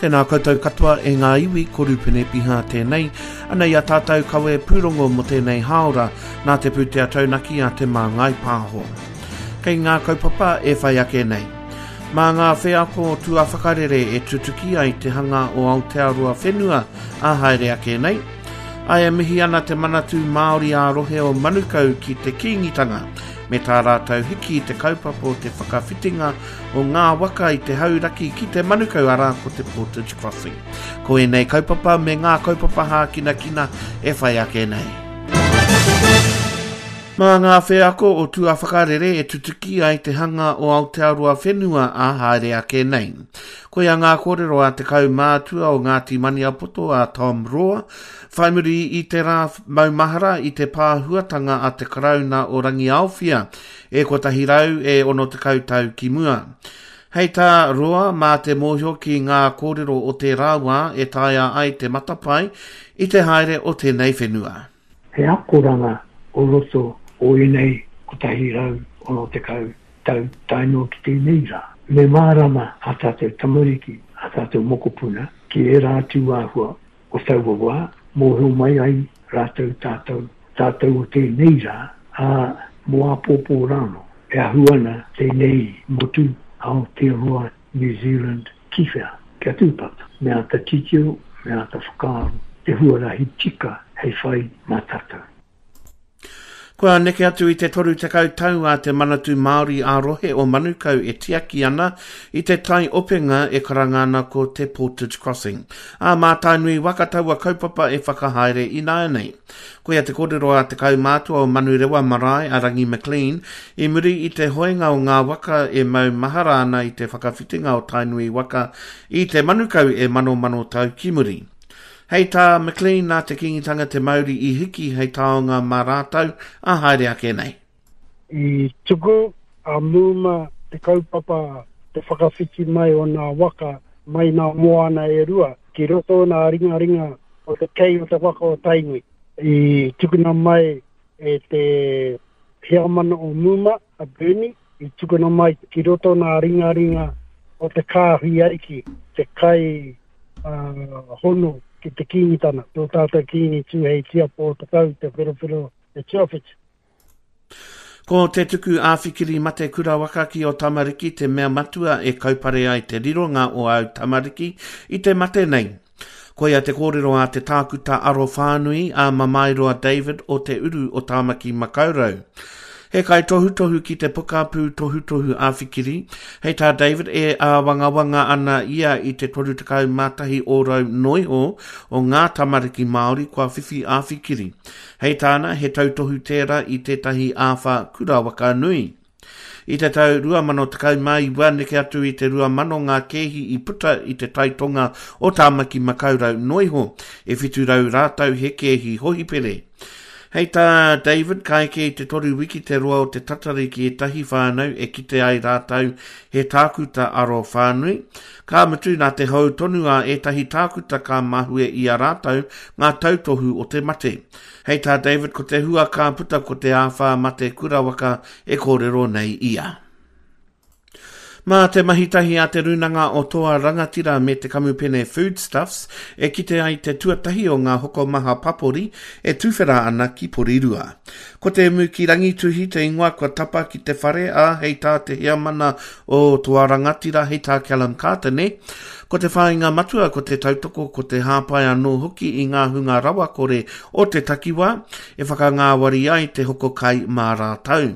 Tēnā koutou katoa e ngā iwi, ko Rupene Piha tēnei. Anei a tātou kawe pūrongo mō tēnei hāora, nā te pūtea taunaki a Te Māngai Pāho. Kei ngā kaupapa e whai ake nei. Mā ngā wheako tuawhakarere e tutuki ai te hanga o Aotearoa whenua ā haere ake nei. Ā, e mihi ana te Manatū Māori ā-rohe o Manukau ki te Kīngitanga me tā rātou hiki i te kaupapa o te whakawhitinga o ngā waka i te Hauraki ki te Manukau, arā, ko te Portage Crossing. Ko ēnei kaupapa me ngā kaupapa hākinakina e whai ake nei. Mā ngā wheako o tuawhakarere e tutuki ai te hanga o Aotearoa whenua ā haere ake nei. Koia ngā kōrero a te kaumātua o Ngāti Maniapoto a Tom Roa, whai muri i te rā maumahara i te pāhuatanga a te Karauna o Rangiaowhia e 160 tau ki mua. Hei tā Roa, mā te mōhio ki ngā kōrero o tērā wā e taea ai te matapae i te haere o tēnei whenua. He akoranga o roto o ēnei 160 tau tae noa ki tēnei rā. Me mārama ā tātou tamariki, ā tātou mokopuna ki ērā atu āhua o taua wā, mōhio mai ai rātou tātou, tātou o tēnei rā, ā, mō āpōpō rānō. E ahu ana tēnei motu, Aotearoa, New Zealand, ki whea? Kia tūpato, me āta titiro, me āta whakaaro te huarahi tika hei whai mā tātou. Kua neke atu i te 30 tau a Te Manatū Māori ā-Rohe o Manukau e tiaki ana i te tai openga e karanga ana ko te Portage Crossing. Ā, mā Tainui waka taua kaupapa e whakahaere ināianei. Koia te kōrero a te kaumātua o Manurewa Marae a Rangi McLean i muri i te hoenga o ngā waka e mau mahara ana i te whakawhitinga o Tainui waka i te Manukau e manomano tau ki muri. Hei tā McLean nā te Kīngitanga te mauri i hiki hei taonga mā rātou ā haere ake nei. I tuku a Muma te kaupapa te whakawhiti mai o nā waka mai nā moana e rua ki roto o nā ringaringa o te kei o te waka o Tainui. I tukuna mai e te heamana o Muma, a Bernie, i tukuna mai ki roto nā ringaringa o te kāhui ariki, te kai uh, hono ki te Kīngitana, tō tātou Kīngi Tūheitia Pōtatau Te Wherowhero Te Tuawhitu. Ko te tuku āwhikiri mate kurawaka ki ō tamariki te mea matua e kaupare ai te rironga o āu tamariki i te mate nei. Koia te kōrero a te tākuta arowhānui a Mamaeroa David o Te Uru o Tāmaki Makaurau. He kaitohutohu ki te pokapū tohutohu āwhikiri, hei tā David e āwangawanga ana ia i te 31 ōrau noiho o ngā tamariki Māori kua whiwhi āwhikiri. Hei tāna, he tautohu tērā i tētahi āwhā kura waka nui. I te tau 2019, neke atu i te 2,000 ngā kēhi i puta i te tai tonga o Tāmaki Makaurau noiho, e 700 rātou he kēhi hohipere. Hei tā David, ka eke i te toru wiki te roa o te tatari ki ētahi whānau e kite ai rātou he tākuta aro whānui, ka mutu nā te hou tonu a ētahi tākuta ka mahue i a rātou ngā tautohu o te mate. Hei tā David ko te hua ka puta ko te āwhā mate kurawaka e kōrero nei ia. Mā te mahi tahi a Te Rūnanga o Toa Rangatira me te kamupene Foodstuffs e kite ai te tuatahi o ngā hokomaha papori e tuwhera ana ki Porirua. Ko Te Muki Rangituhi te ingoa kua tapa ki te whare, ā, hei tā te heamana o Toa Rangatira, hei tā Callum Kātene, Ko te whāinga matua ko te tautoko, ko te hāpai anō hoki i ngā hunga rawakore o te takiwā, e whakangāwari ai te hoko kai mā rātou.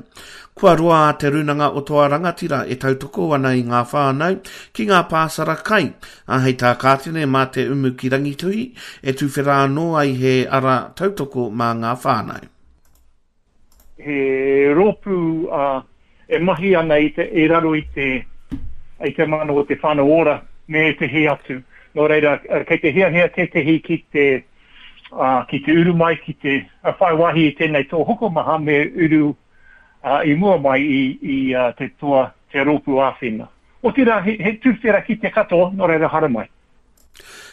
Kua roa a Te Rūnanga o Toa Rangatira e tautoko ana i ngā whānau ki ngā pāsara kai, ā, hei tā Kātene mā Te Umu ki Rangituhi e tuwhera anō ai he ara tautoko mā ngā whānau. He rōpū e mahi ana i te, i raro i te, i te mana o te Whānau Ora me ētehi atu. Nō reira, kei te hiahia tētehi ki te, ki te uru mai, ki te whai wāhi i tēnei toa hokomaha me uru i mua mai i, i te toa, te rōpū āwhina. Otirā, he, he tuwhera ki te katoa, nō reira haramai.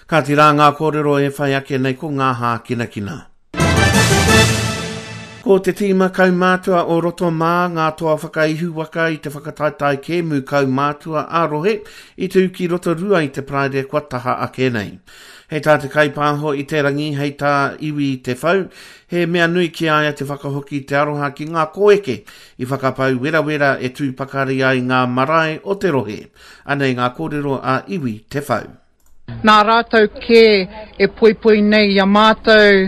Kāti rā ngā kōrero e whai ake nei ko ngā hākinakina. Ko te tīma kaumātua o Rotomā ngā toa whakaihuwaka i te whakataetae kēmu kaumātua ā-rohe i tū ki Rotorua i te Paraire kua taha ake nei. Hei tā te kaipāho i te rangi, hei tā Iwi Te Whau, he mea nui ki a ia te whakahoki i te aroha ki ngā kōeke i whakapau werawera e tū pakari ai ngā marae o te rohe. Anei ngā kōrero a Iwi Te Whau. Nā rātou kē e poipoi nei i a mātou,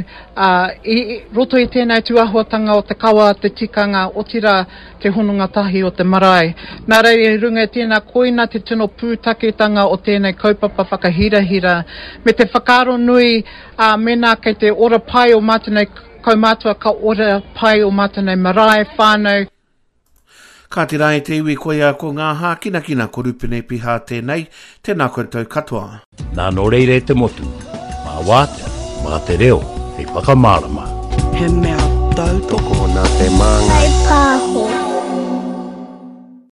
ā, i roto i tēnei tūāhuatanga o te kawa, te tikanga, otirā, te hononga tahi o te marae. Nā reira, i runga i tēnā, koina te tino pūtaketanga o tēnei kaupapa whakahirahira, me te whakaaro nui, ā, mēnā kei te ora pai o mātou nei kaumātua, ka ora pai o mātou nei marae, whānau. Kāti rā e te iwi koia ko ngā hākinakina ko Rupene Piha tēnei, tēnā koutou katoa. Nā nō reira e te motu, mā wātea, mā te reo hei whakamārama. He mea tautoko nā te māngai. Kai pā.